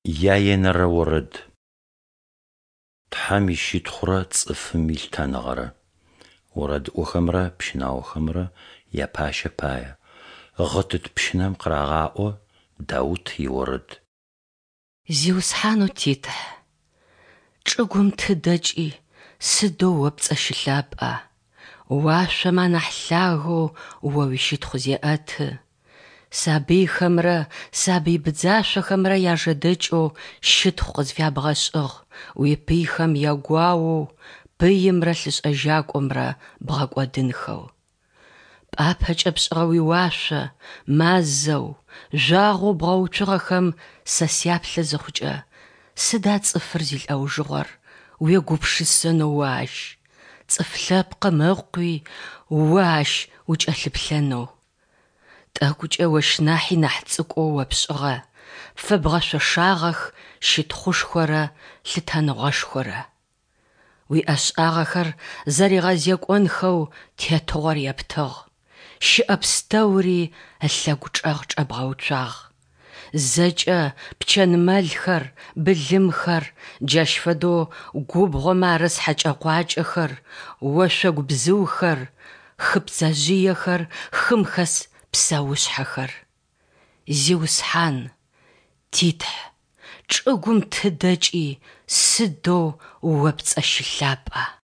Яенэрэ орэд. Тхьэм ищытхъурэ цӏыфым илъытэныгъэрэ. Орэдыӏохэмрэ пщынаохэмрэ япащэ пае. Гъытыт пщынэм къырагъаӏо, Даут иорэд. Зиусхьанэу ти Тхь, чӏыгум тыдэкӏи сыдэу О пцӏэ щылъапӏа, уашъомэ анахь лъагэу О уищытхъу зеӏэты. Сабыйхэмрэ сабый быдзашъохэмрэ яжэдэкӏэу щытхъу къызфябгъэшӏыгъ, уипыйхэм ягуаоу пыимрэ лъышӏэжьакӏомрэ бгъэкӏодынхэу. Пӏапэкӏэ пшӏыгъэ уиуашъо, мазэу, жъуагъоу бгъэуцугъэхэм сэ сяплъы зыхъукӏэ, сыда цӏыфыр зилӏэужыгъор, уегупшысэнэу о ащ, цӏыф лъэпкъым ыкъуи о ащ укӏэлъыплъэнэу? Тӏэкӏукӏэ ощ нахьи нахь цӏыкӏоу о пшӏыгъэ, пфэбгъэшъошагъэх щытхъушхорэ лъытэныгъэшхорэ. Уиӏэшӏагъэхэр зэригъэзекӏонхэу тетыгъор ептыгъ, щыӏэ пстэури ылъэгу чӏэгъ чӏэбгъэуцуагъ. Зэкӏэ пчэн-мэлхэр, былымхэр, джащ фэдэу губгъомэ арыс хьэкӏэ-къуакӏэхэр, ошъогу бзыухэр, хы пцэжъыехэр, хым хэс псэушъхьэхэр. Зиусхьан, ти Тхь, чӏыгум тыдэкӏи сыдэу О пцӏэ щылъапӏа!